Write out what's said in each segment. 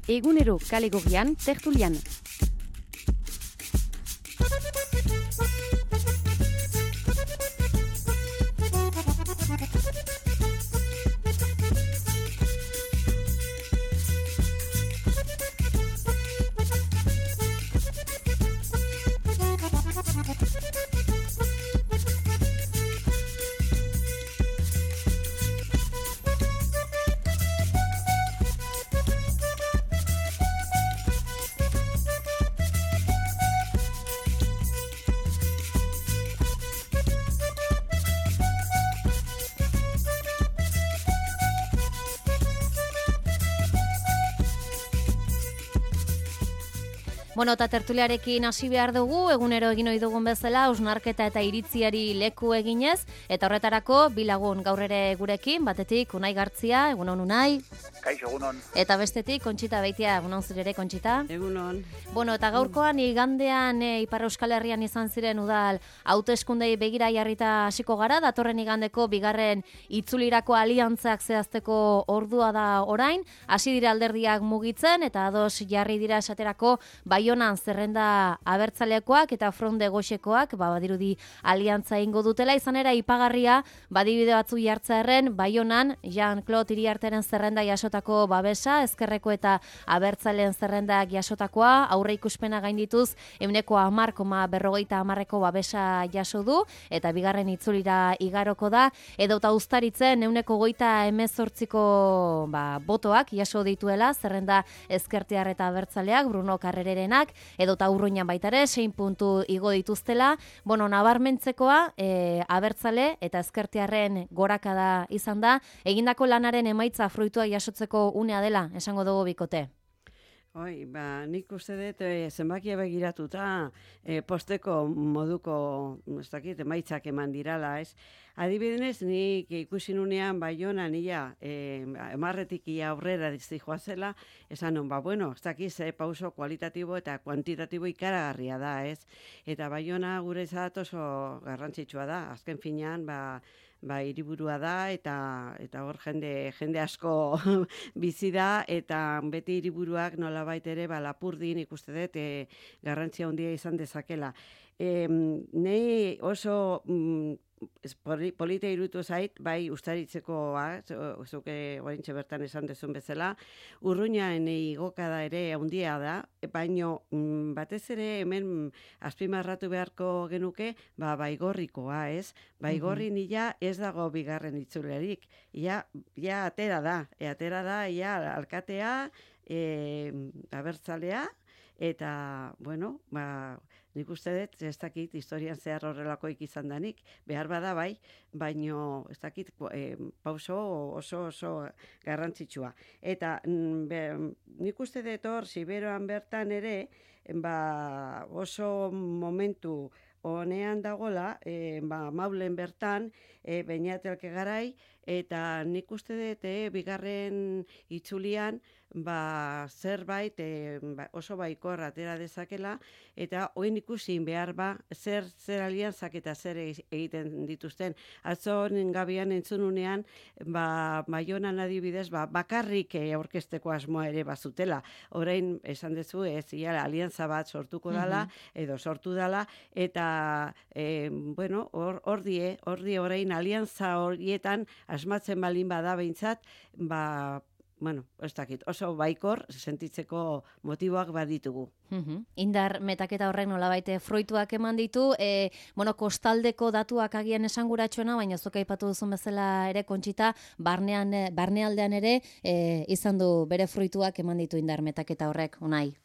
Egunero kale gorrian, tertulian. Bueno, eta tertuliarekin hasi behar dugu, egunero egin ohi dugun bezala, hausnarketa eta iritziari leku eginez, eta horretarako bi lagun gaur ere gurekin, batetik Unai Gartzia, egunon Unai. Kaixo, egunon. Eta bestetik Kontxita Beitia, egunon zure ere Kontxita. Egunon. Bueno, eta gaurkoan igandean Ipar Euskal Herrian izan ziren udal hauteskundei begira jarrita hasiko gara, datorren igandeko bigarren itzulirako aliantzak zehazteko ordua da orain, hasi dira alderdiak mugitzen eta ados jarri dira esaterako Baionan zerrenda abertzalekoak eta fronde goxekoak, badirudi aliantza ingo dutela, izan era ipagarria, badibide batzu jartzearen, Baionan Jean-Claude Iriarteren zerrenda jasotako babesa, ezkerreko eta abertzaleen zerrendak jasotakoa, aurre ikuspena gaindituz, 10,40ko babesa jaso du, eta bigarren itzulira igaroko da, edota uztaritzen 128ko botoak jaso dituela, zerrenda ezkertiar eta abertzaleak, Bruno Carrererenak, edota Urruñan baita ere, 6 puntu igo dituztela, bueno, nabarmentzekoa, abertzale eta ezkertiarren gorakada izan da, egindako lanaren emaitza fruitua jasotzeko unea dela, esango dugu bikote. Nik uste dut zenbakia begiratuta posteko moduko emaitzak eman dirala, ez? Adibidenez, nik ikusi nunean Baionan emarretik aurrera joazela, esan nun, ez dakiz, pauso kualitatibo eta kuantitatibo ikaragarria da, ez? Eta Baiona gure izat oso garrantzitsua da, azken finean, hiriburua da eta hor jende asko bizi da eta beti hiriburuak nolabait ere Lapurdin ikuste dut garrantzia handia izan dezakela. Nei oso polita iruditu zait, bai ustaritzekoa, zuke oraintxe bertan esan dezun bezala, Urruñan igokada ere handia da, baino batez ere hemen azpimarratu beharko genuke, Baigorrikoa, ez? Baigorri nila ez dago bigarren itzulerik, ja atera da, alkatea, abertzalea, eta, nik uste dut, ez dakit, historian zehar horrelakoik izan danik, behar bada bai, baino, ez dakit, pauso oso garrantzitsua. Eta nik uste dut hor, Siberoan bertan ere, oso momentu honean dagola, Maulen bertan, Beñat Elkegarai, eta nik uste dut bigarren itzulian zerbait oso baikor atera dezakela, eta oin ikusin behar zer aliantzak eta zer egiten dituzten. Atzo gabian entzununean, Baionan adibidez, bakarrik aurkezteko asmoa ere bazutela. Orain esan dezu, aliantza bat sortuko dala, edo sortu dala, eta hor orain aliantza horietan asmatzen balin bada behintzat, ez dakit, oso baikor sentitzeko motiboak baditugu. Indar metaketa horrek nolabait fruituak eman ditu, kostaldeko datuak agian esanguratsuena, baina zuk aipatu duzun bezala ere Kontxita, barnealdean ere izan du bere fruituak eman ditu indar metaketa horrek, Unai.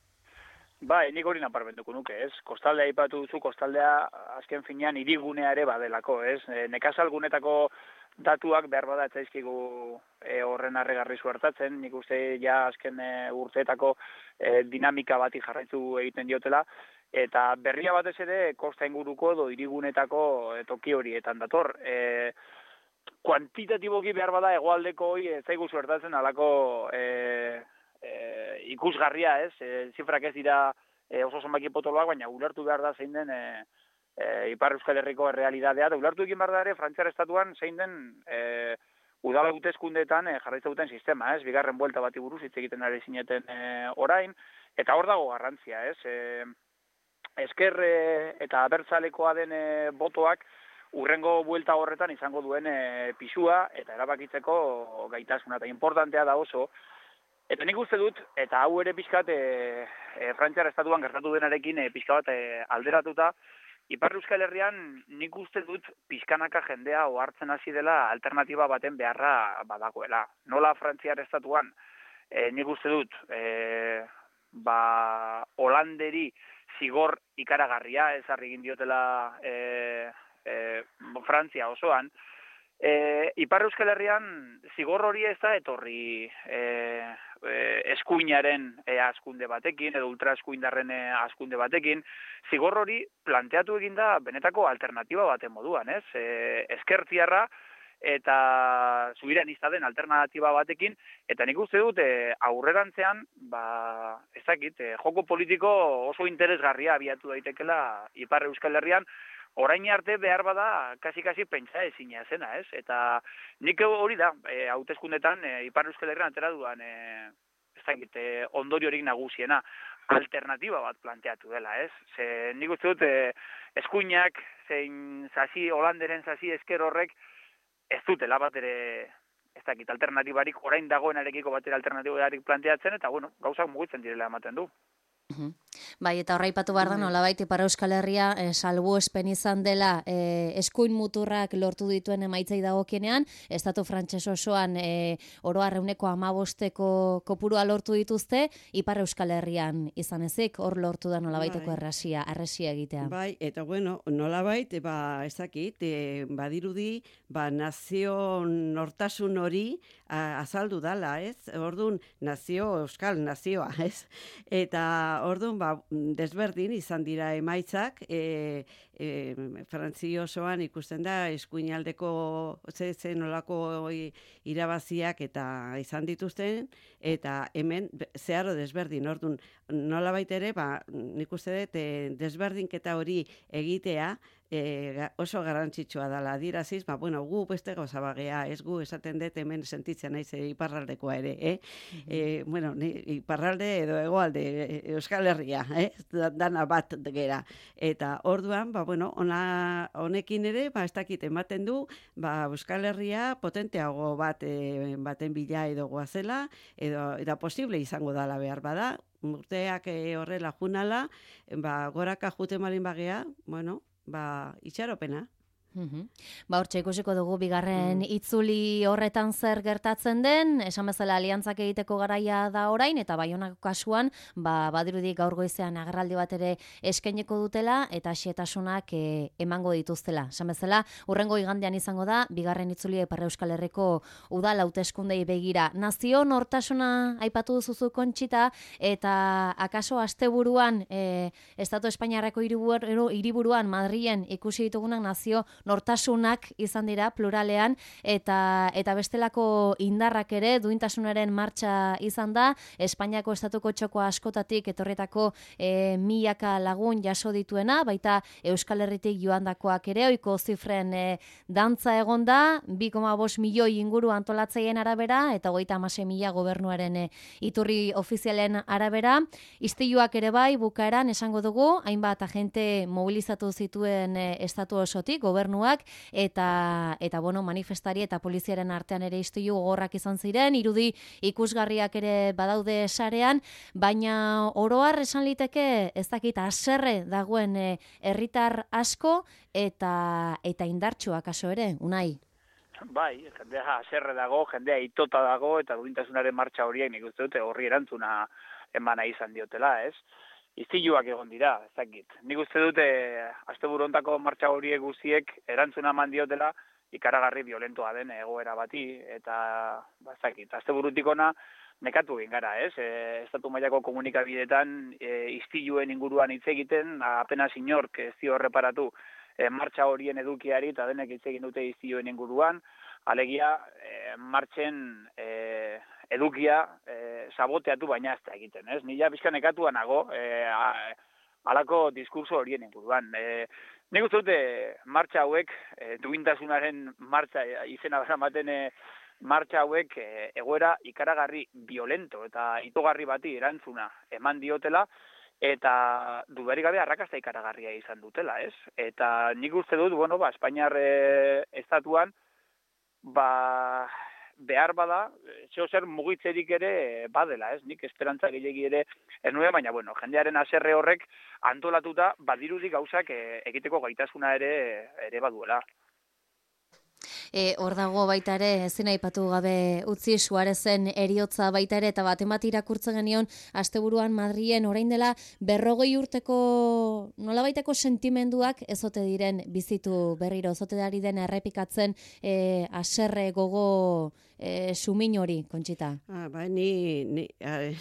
Nik hori naparmenduko nuke, ez? Kostaldea aipatu duzu, kostaldea azken finean hirigunea ere badelako, ez? Nekazalgunetako datuak behar bada etzaizkigu horren arregarri zuertatzen, nik uste azken urteetako dinamika bati jarraitu egiten diotela, eta berria batez ere kosta inguruko edo hirigunetako toki horietan dator. Kuantitatiboki behar bada hegoaldeko hori ez zaigu zuertatzen alako ikusgarria, ez? Zifrak ez dira oso zonbaki potoloak, baina ulertu behar da zein den Ipar Euskal Herriko realidadea, da ulertu egin behar da ere Frantziar estatuan zein den udala hauteskundeetan jarraitza duten sistema, ez? Bigarren buelta bati buruz hitz egiten ari zineten orain, eta hor dago garrantzia, ez? Ezker eta abertzalekoa den botoak urrengo buelta horretan izango duen pisua eta erabakitzeko gaitasuna, eta importantea da oso. Eta nik uste dut, eta hau ere pixkat Frantziar estatuan gertatu denarekin pixka bat alderatuta, Ipar Euskal Herrian nik uste dut pixkanaka jendea ohartzen hasi dela alternatiba baten beharra badagoela. Nola Frantziar estatuan nik uste dut Holanderi zigor ikaragarria ezarri egin diotela Frantzia osoan, Ipar Euskal Herrian zigor hori ez da etorri eskuinaren askunde batekin, edo ultraeskuindarren askunde batekin, zigor hori planteatu egin da benetako alternatiba baten moduan, ez? Ezkertiarra eta zubiranista den alternatiba batekin, eta nik uste dut aurrerantzean, ez dakit, joko politiko oso interesgarria abiatu daitekela Ipar Euskal Herrian, orain arte behar bada kasi pentsa ezina zena, ez? Eta nik hori da, hauteskundetan Ipar Euskal Herrian atera duan, ez dakit, ondoriorik nagusiena, alternatiba bat planteatu dela, ez? Ze nik uste dut eskuinak, zein sasi, Holanderen sasi esker horrek, ez dutela bat ere, ez dakit, alternatibarik, orain dagoenarekiko bat ere alternatibarik planteatzen, eta bueno, gauzak mugitzen direla ematen du. Bai, eta horra ipatu behar da, nolabait Ipar Euskal Herria salbuespen izan dela eskuin muturrak lortu dituen emaitzei dagokienean, estatu frantses osoan oro har 15% kopurua lortu dituzte, Ipar Euskal Herrian izan ezik, hor lortu da nolabaiteko arresia egitea. Bai, eta bueno, nolabait, ez dakit, badirudi, nazio nortasun hori azaldu dala, ez? Orduan, euskal nazioa, ez? Eta orduan, desberdin izan dira emaitzak, Frantzi osoan ikusten da eskuinaldeko nolako irabaziak eta izan dituzten, eta hemen zeharo desberdin. Orduan, nolabait ere, nik uste dut desberdinketa hori egitea oso garrantzitsua dela adiraziz, gu beste gauza bagea, ez gu esaten dut hemen sentitzen naiz iparraldekoa ere, iparralde edo hegoalde Euskal Herria, dana bat gera. Eta orduan, honekin ere, ez dakit ematen du, Euskal Herria potenteago baten bila edo goazela, eta posible izango dala behar bada, urteak horrela junala, goraka jute malin bagea, itxaropena. Hortxe ikusiko dugu bigarren itzuli horretan zer gertatzen den, esan bezala aliantzak egiteko garaia da orain, eta Baionako kasuan, badirudi gaur goizean agerraldi bat ere eskaineko dutela, eta xehetasunak emango dituztela. Esan bezala, hurrengo igandean izango da, bigarren itzuli Ipar Euskal Herriko udal hauteskundei begira. Nazio nortasuna aipatu duzu Kontxita, eta akaso asteburuan, Estatu Espainiarreko hiriburuan Madrilen ikusi ditugunak nazio nortasunak izan dira pluralean, eta bestelako indarrak ere duintasunaren martxa izan da, Espainiako estatuko txoko askotatik etorretako milaka lagun jaso dituena, baita Euskal Herritik joandakoak ere, ohiko zifren dantza egon da, 2,5 milioi inguru antolatzaien arabera, eta 36.000 gobernuaren iturri ofizialen arabera. Istiluak ere bai, bukaeran esango dugu, hainbat agente mobilizatu zituen estatu osotik, gobernuak, eta manifestari eta poliziaren artean ere istilu gogorrak izan ziren, irudi ikusgarriak ere badaude sarean, baina oroar esan liteke ez dakit haserre dagoen herritar asko eta indartsuak aso ere, Unai? Bai, jendea haserre dago, jendea itota dago, eta duintasunaren martxa horiek nik uste dute horri erantzuna emana izan diotela, ez? Istiluak egon dira, ez dakit. Nik uste dute asteburu hontako martxa horiek guztiek erantzuna eman diotela ikaragarri violentoa den egoera bati, eta ez dakit. Asteburutik ona nekatu egin gara, ez? Estatu mailako komunikabideetan istiluen inguruan hitz egiten, apenas inork ez dio erreparatu martxa horien edukiari, eta denek hitz egin dute istiluen inguruan, alegia martxen edukia saboteatu baina ez da egiten, ez? Nila pixka nekatua nago halako diskurso horien inguruan. Nik uste dute martxa hauek, duintasunaren martxa izena beramaten martxa hauek egoera ikaragarri violento eta itogarri bati erantzuna eman diotela, eta dudarik gabe arrakasta ikaragarria izan dutela, ez? Eta nik uste dut, Espainiar estatuan, behar bada, zer mugitzerik ere badela, ez? Nik esperantza gehiegi ere ez nuen, baina, jendearen haserre horrek antolatuta, badirudi gauzak egiteko gaitasuna ere baduela. Hor dago baita ere, ezin aipatu gabe utzi Suarezen eriotza baita ere, eta bat irakurtzen genion, asteburuan Madrilen orain dela 40 urteko nolabaiteko sentimenduak ezote diren bizitu berriro, ezote dari den errepikatzen haserre gogo sumin hori, Kontxita. Ni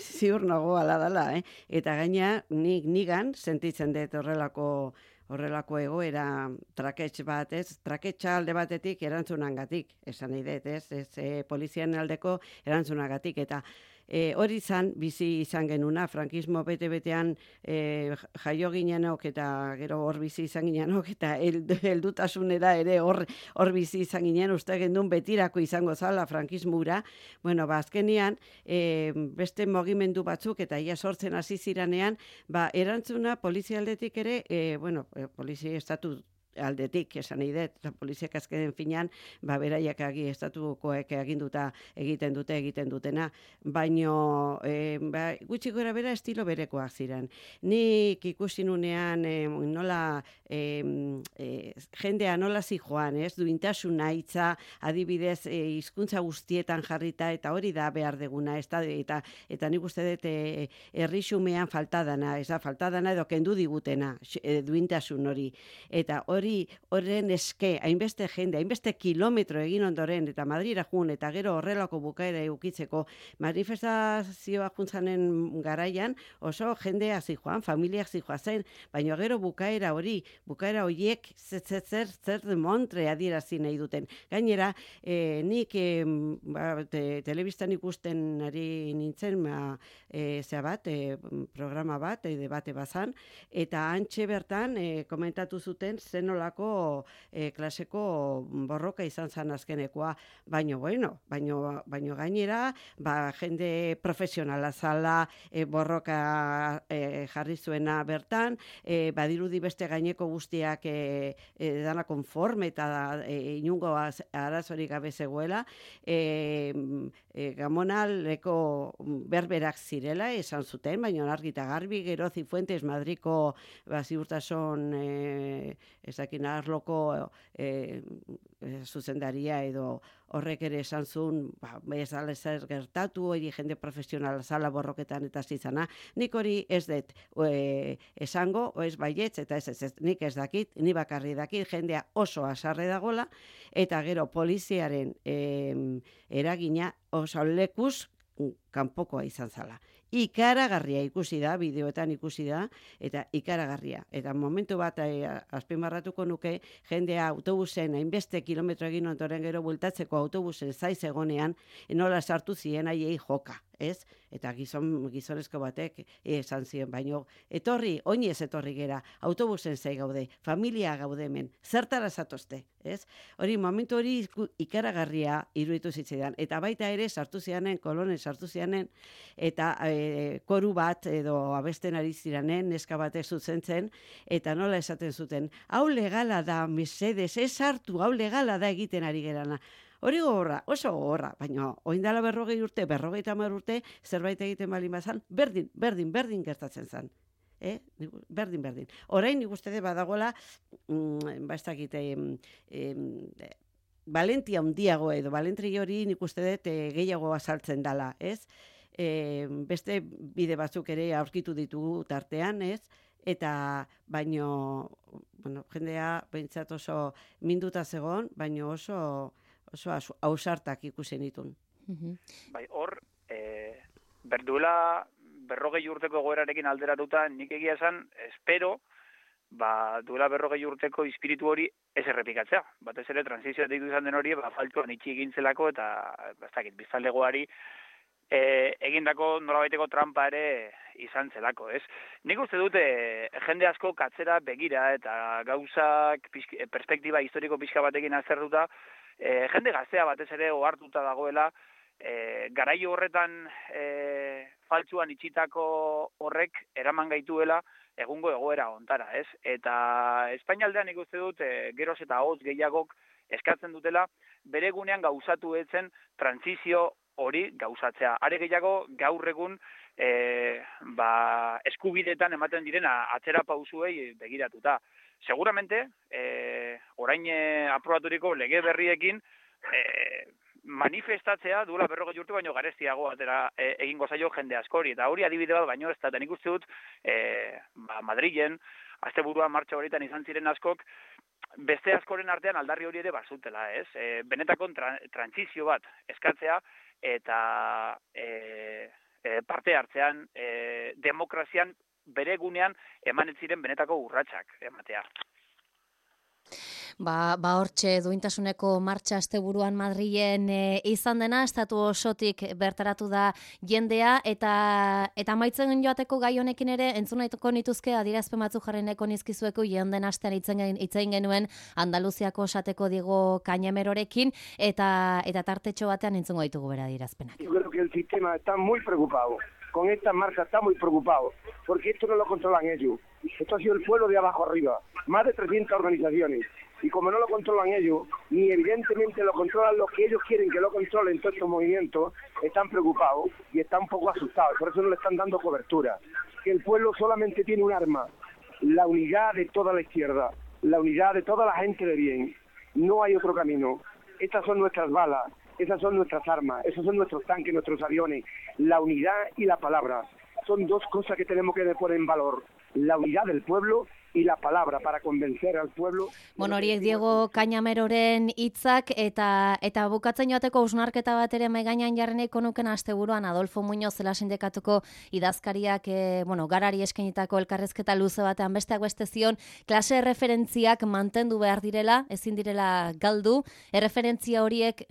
ziur nago ala dela, eta gaina nigan sentitzen dut horrelako egoera trakets bat, ez? Traketsa alde batetik erantzunangatik, esan nahi dut, ez? Polizian aldeko erantzunagatik, eta hori bizi izan genuna, frankismo bete-betean jaio ginenok, eta gero hor bizi izan ginenok, eta heldutasunera ere hor bizi izan ginen, uste gendun betirako izango zala frankismura. Azkenian, beste mugimendu batzuk, eta ia sortzen hasi ziranean, erantzuna polizialdetik ere, polizia estatu aldetik, esan nahi dut, poliziak azken finean, beraiak estatukoek aginduta egiten dutena, baino gutxi gora bera estilo berekoak ziren. Nik ikusi nunean nola jendea nola zijoan, ez, duintasuna hitza, adibidez hizkuntza guztietan jarrita, eta hori da behar deguna, eta nik uste dut herrixumean faltadana edo kendu digutena duintasun hori, eta horren eske, hainbeste jende, hainbeste kilometro egin ondoren, eta Madrira jun, eta gero horrelako bukaera eukitzeko, manifestazioa juntzanen garaian, oso jendea zijoan, familiak zijoa zen, baina gero bukaera horiek zer demontre adierazi nahi duten. Gainera, nik telebistan ikusten ari nintzen, programa bat, debate bazan, eta antxe bertan komentatu zuten zenolako klaseko borroka izan zan azkenekoa, baino gainera, jende profesionala zala, borroka jarri zuena bertan, badirudi beste gaineko guztiak dana konforme eta inungo arazorik gabe zegoela, Gamonaleko berberak zirela esan zuten, baina argi eta garbi, gero Zifuentes Madriko ziurtasun ezakin arloko zuzendaria edo horrek ere esan zuen, ez dala zer gertatu, hori jende profesionala zala borroketan eta zizana. Nik hori ez dut esango, ez baietz, eta ez, nik ez dakit, ni bakarri dakit, jendea oso asarre dagola, eta gero poliziaren eragina oso lekuz kanpokoa izan zala. Ikaragarria ikusi da, bideoetan ikusi da, eta ikaragarria. Eta momentu bat azpimarratuko nuke, jendea autobusen, hainbeste kilometro egin ondoren gero bultatzeko autobusen zaiz egonean, nola sartu zien haiei joka, ez? Eta gizonezko batek esan ziren, baino oinez etorri gera, autobusen zai gaude, familia gaude hemen, zertara zatozte, ez? Hori, momentu hori ikaragarria iruditu zitzaidan, eta baita ere sartu zianen, kolonen sartu zianen, eta koru bat edo abesten ari ziranen, neska batek zuzentzen, eta nola esaten zuten, hau legala da, mesedes, ez hartu, hau legala da egiten ari gerana. Hori gogorra, oso gogorra, baina oindala 40 urte, 50 urte, zerbait egiten bali mazan, berdin gertatzen zan. Berdin. Orain nik uste badagoela, ez dakit, valentia handiago edo, valentri hori nik uste dut gehiago azaltzen dala, ez? Beste bide batzuk ere aurkitu ditugu tartean, ez? Eta baino, jendea behintzat oso minduta zegoen, baino oso ausartak ikusen ditun. Bai, hor, berduela 40 urteko egoerarekin alderatuta, nik egia esan, espero, duela 40 urteko espiritu hori ez errepikatzea. Batez ere, transizioa deitu izan den hori, faltuan itxi egintzelako, eta, biztanlegoari, egindako norabaiteko trampa ere izan zelako, ez? Nik uste dute jende asko katzera begira eta gauzak perspektiba historiko pixka batekin azertuta jende gaztea batez ere ohartuta dagoela, garaio horretan faltsuan itxitako horrek eraman gaituela egungo egoera ontara, ez? Eta Espainialdean ikuste dut geroz eta hotz gehiagok eskatzen dutela bere gunean gauzatu etzen trantsizio hori gauzatzea. Are gehiago gaur egun eskubidetan ematen direna atzera pausuei begiratuta. Seguramente, orain aprobaturiko lege berriekin manifestatzea duela 40 urte baino garestiago atera egingo zaio jende askori, eta hori adibide bat baino ez da, nik uste dut Madrilen, asteburuan martxa horietan izan ziren askok, beste askoren artean aldarri hori ere bazutela, ez? Benetako trantsizio bat eskatzea, eta parte hartzean demokrazian bere gunean eman ez ziren benetako urratsak ematea. Hortxe duintasuneko martxa asteburuan Madrilen izan dena, estatu osotik bertaratu da jendea, eta amaitzen joateko gai honekin ere entzunatuko nituzke adierazpen batzuk jarri nahiko nizkizueko den astean hitzein genuen Andaluziako esateko Diego Cañamerorekin, eta tartetxo batean entzungo ditugu bera adierazpenak. Yo creo que el sistema está muy preocupado. Con esta marcha está muy preocupado, porque esto no lo controlan ellos. Esto ha sido el pueblo de abajo arriba, más de 300 organizaciones. Y como no lo controlan ellos, ni evidentemente lo controlan los que ellos quieren que lo controlen todos estos movimientos, están preocupados y están un poco asustados, por eso no le están dando cobertura. Que el pueblo solamente tiene un arma, la unidad de toda la izquierda, la unidad de toda la gente de bien. No hay otro camino. Estas son nuestras balas, esas son nuestras armas, esos son nuestros tanques, nuestros aviones. La unidad y la palabra son dos cosas que tenemos que poner en valor. La unidad del pueblo y la palabra para convencer al pueblo. Bueno, horiek Diego Cañameroren hitzak, eta bukatzen joateko hausnarketa bat ere mahai gainean jarri nahiko nuken asteburuan Adolfo Muñoz zela sindikatuko idazkariak garari eskainitako elkarrezketa luze batean besteak beste zion klase erreferentziak mantendu behar direla, ezin direla galdu, erreferentzia horiek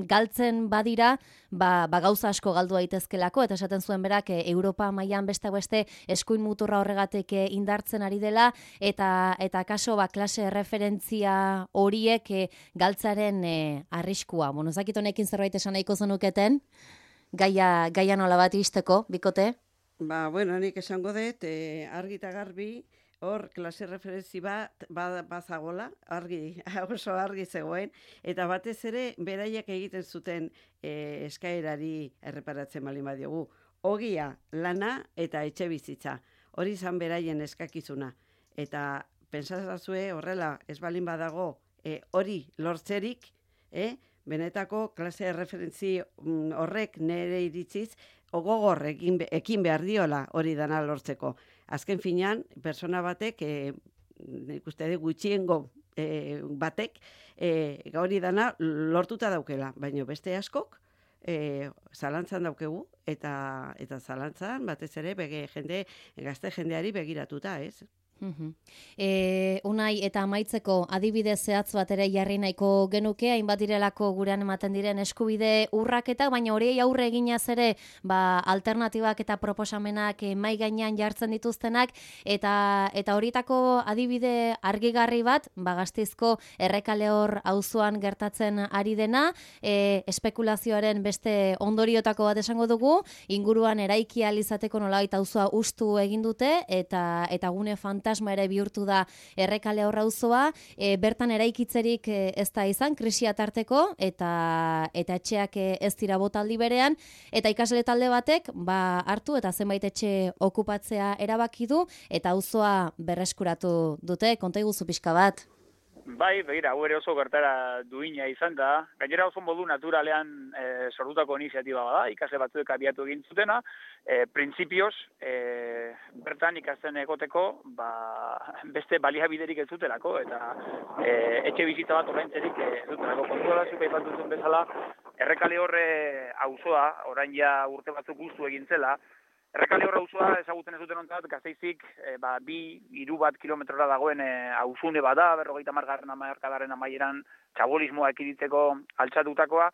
galtzen badira, gauza asko galdu daitezkelako, eta esaten zuen berak Europa mailan besteak beste eskuin muturra horregatik indartzen ari dela, eta kaso klase referentzia horiek galtzaren arriskua. Bueno, zakit honekin zerbait esan nahiko zenuketen, gaia nola bat izteko, bikote? Bueno, nik esango dut, argi eta garbi, hor klase referentzi bat bazagola, oso argi zegoen, eta batez ere beraiek egiten zuten eskaerari erreparatzen baldin badiogu. Ogia, lana eta etxe bizitza. Hori izan beraien eskakizuna. Eta pentsazazue horrela ez balin badago hori lortzerik, benetako klase referentzi horrek nire iritziz gogor ekin behar diola hori dana lortzeko. Azken finean, persona batek, ikuste gutxiengo batek, hori dana lortuta daukela, baina beste askok zalantzan daukegu, eta zalantzan batez ere gazte jendeari begiratuta, ez? Unai, eta amaitzeko adibide zehatz bat ere jarri nahiko genuke, hainbat direlako gurean ematen diren eskubide urraketak, baina horiei aurre eginaz ere alternatibak eta proposamenak mahai gainean jartzen dituztenak, eta horietako adibide argigarri bat, Gasteizko Errekalehor auzoan gertatzen ari dena, espekulazioaren beste ondoriotako bat esango dugu, inguruan eraiki ahal izateko nolabait auzoa hustu egin dute, eta gune fantasma ere bihurtu da Errekalehor auzoa, bertan eraikitzerik ez da izan, krisia tarteko, eta etxeak ez dira botaldi berean, eta ikasle talde batek hartu eta zenbait etxe okupatzea erabaki du, eta auzoa berreskuratu dute, konta iguzu pixka bat. Bai, begira, hau ere oso gertara duina izan da. Gainera oso modu naturalean sortutako iniziatiba bada, ikasle batzuek abiatu egin zutena, printzipioz, bertan ikasten egoteko, beste baliabiderik ez zutelako, eta etxe bizitza bat ordaintzerik ez zutelako. Kontua da, zuk aipatu duzun bezala, Errekalehor auzoa, orain ja urte batzuk guztu egin zela, Errekalehor auzoa ezagutzen ez duten ontzat, Gasteizik 2-3 kilometrora dagoen auzune bada, 50. hamarkadaren amaieran txabolismoa ekiditzeko altxatutakoa,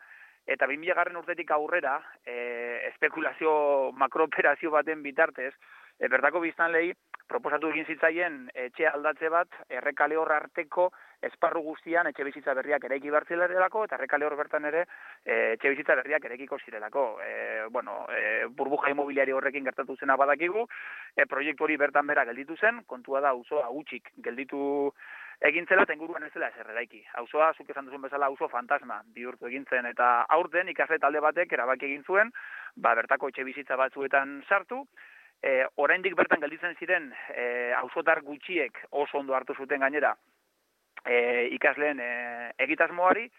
eta 2000. urtetik aurrera, espekulazio makroperazio baten bitartez, bertako biztanlei proposatu egin zitzaien etxe aldatze bat Errekale hor arteko esparru guztian etxe bizitza berriak eraiki bertzilelako, eta Errekale hor bertan ere etxe bizitza berriak eraikiko zirelako. Burbuja imobiliari horrekin gertatu zena badakigu, proiektu hori bertan bera gelditu zen, kontua da auzoa hutsik gelditu egintzela, eta inguruan ez dela ezer eraiki. Auzoa, zuk esan duzun bezala, auzo fantasma bihurtu egintzen, eta aurten ikasle talde batek erabaki egin zuen, bertako etxe bizitza batzuetan sartu, oraindik bertan gelditzen ziren auzotar gutxiek oso ondo hartu zuten gainera ikasleen egitasmoari,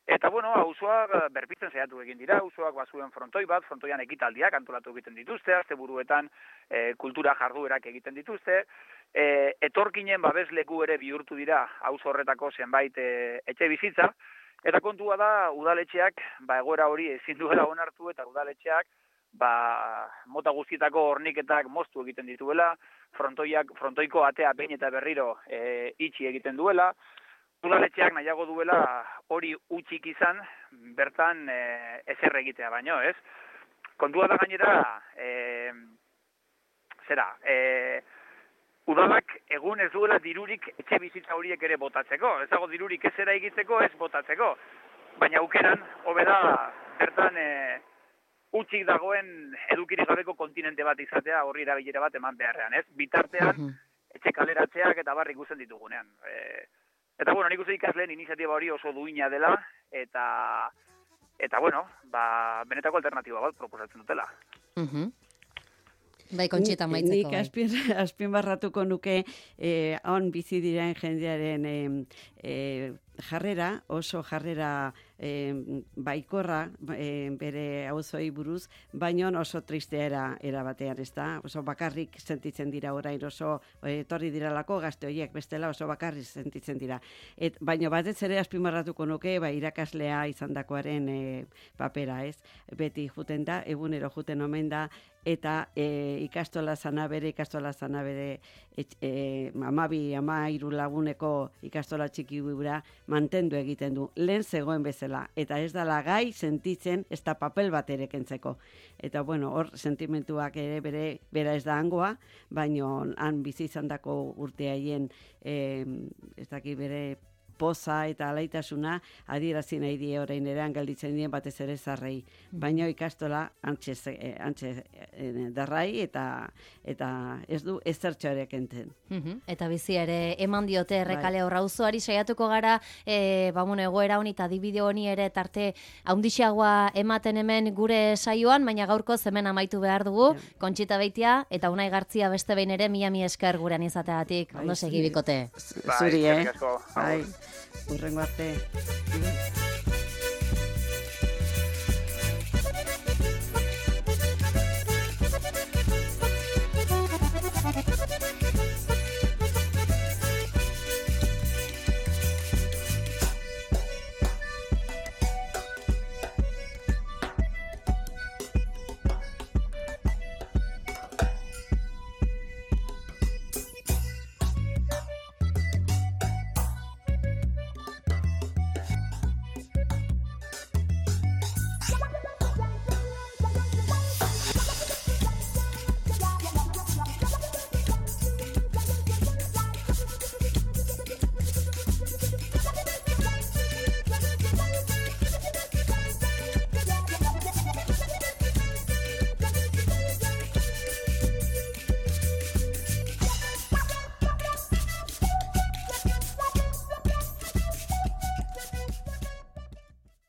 eta auzoa berpitzen saiatu egin dira, auzoak bazuen frontoi bat, frontoian ekitaldiak antolatu egiten dituzte, asteburuetan kultura jarduerak egiten dituzte, etorkinen babesleku ere bihurtu dira auzo horretako zenbait etxe bizitza, eta kontua da udaletxeak egoera hori ezin duela onartu, eta udaletxeak mota guztietako horniketak moztu egiten dituela, frontoiko atea behin eta berriro itxi egiten duela, udaletxeak nahiago duela hori utxik izan, bertan ezer egitea baino, ez? Kontua da gainera, udalak egun ez duela dirurik etxe bizitza horiek ere botatzeko, ez dago dirurik ezera egiteko, ez botatzeko, baina aukeran, hobeda, bertan utxik dagoen edukirik gabeko kontinente bat izatea, horri erabilera bat eman beharrean, ez? Bitartean, etxe kaleratzeak eta barrik ikusten ditugunean. Eta, nik uste ikasleen iniziatiba hori oso duina dela, eta benetako alternatiba bat proposatzen dutela. Bai, Kontxita maitzeko. Nik azpimarratuko nuke on bizi diren jendearen jarrera, oso jarrera baikorra bere auzoi buruz, baino oso tristea era batean, ez da? Oso bakarrik sentitzen dira orain, oso etorri diralako gazte horiek, bestela oso bakarrik sentitzen dira. Baino batez ere azpimarratuko nuke, irakaslea izandakoaren papera, ez? Beti juten da, egunero juten omen da, eta ikastola zana bere 12-13 laguneko ikastola txiki gura mantendu egiten du, lehen zegoen bezala, eta ez dala gai sentitzen ez da papel bat ere kentzeko. Eta hor sentimentuak ere bera ez da hangoa, baino han bizi izandako urteaien ez daki bere poza eta alaitasuna adierazi nahi die orain eran gelditzen dien batez ere zarrei. Baina ikastola antxe darrai eta ez du ezertxo ere kenten. Eta bizi ere eman diote Errekale hor auzoari, saiatuko gara egoera honi eta dibide honi ere tarte haundixagoa ematen hemen gure saioan, baina gaurko hemen amaitu behar dugu, Kontxita Beitia eta Unai Gartzia beste behin ere mila esker gurean izateagatik. Ondo segi bikote. Zuri, Urrengo arte.